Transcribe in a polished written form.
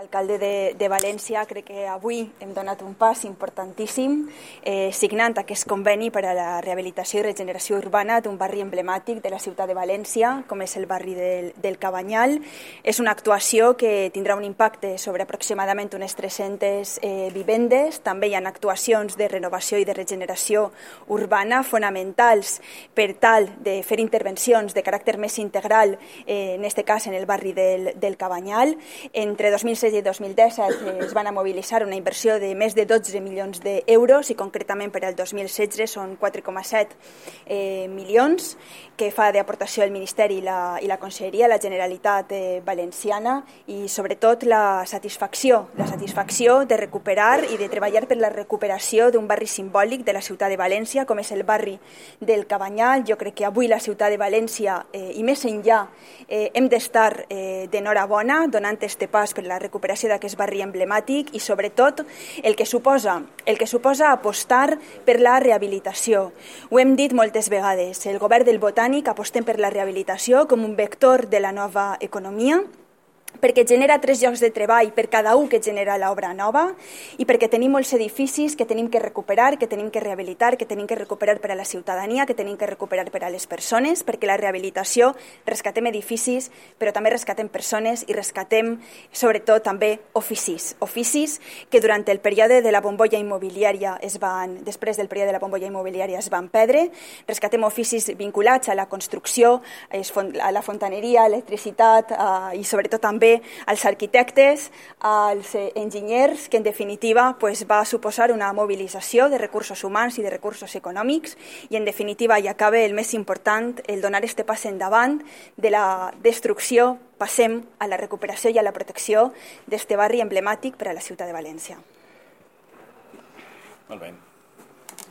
Alcalde de València, crec que avui hem donat un pas importantíssim signant aquest conveni per a la rehabilitació i regeneració urbana d'un barri emblemàtic de la ciutat de València, com és el barri del Cabanyal. És una actuació que tindrà un impacte sobre aproximadament unes 300 vivendes. També hi ha actuacions de renovació i de regeneració urbana fonamentals per tal de fer intervencions de caràcter més integral, en aquest cas en el barri del Cabanyal. Entre 2016 i 2017 es van a mobilitzar una inversió de més de 12 milions d'euros i concretament per al 2016 són 4,7 milions que fa d'aportació el Ministeri i la Conselleria, la Generalitat Valenciana, i sobretot la satisfacció de recuperar i de treballar per la recuperació d'un barri simbòlic de la ciutat de València com és el barri del Cabanyal. Jo crec que avui la ciutat de València i més enllà hem d'estar d'enhorabona donant este pas per la recuperació d'aquest barri emblemàtic i sobretot el que suposa apostar per la rehabilitació. Ho hem dit moltes vegades, el govern del Botànic apostem per la rehabilitació com un vector de la nova economia, perquè genera 3 llocs de treball per cada un que genera l'obra nova i perquè tenim molts edificis que tenim que recuperar, que tenim que rehabilitar, que tenim que recuperar per a la ciutadania, que tenim que recuperar per a les persones, perquè la rehabilitació rescatem edificis, però també rescatem persones i rescatem sobretot també oficis que durant el període de la bombolla immobiliària després del període de la bombolla immobiliària es van perdre. Rescatem oficis vinculats a la construcció, a la fontaneria, a l'electricitat i sobretot també als arquitectes, als enginyers, que en definitiva va suposar una mobilització de recursos humans i de recursos econòmics i en definitiva i acaba el més important, el donar este pas endavant de la destrucció, passem a la recuperació i a la protecció d'este barri emblemàtic per a la ciutat de València. Molt bé.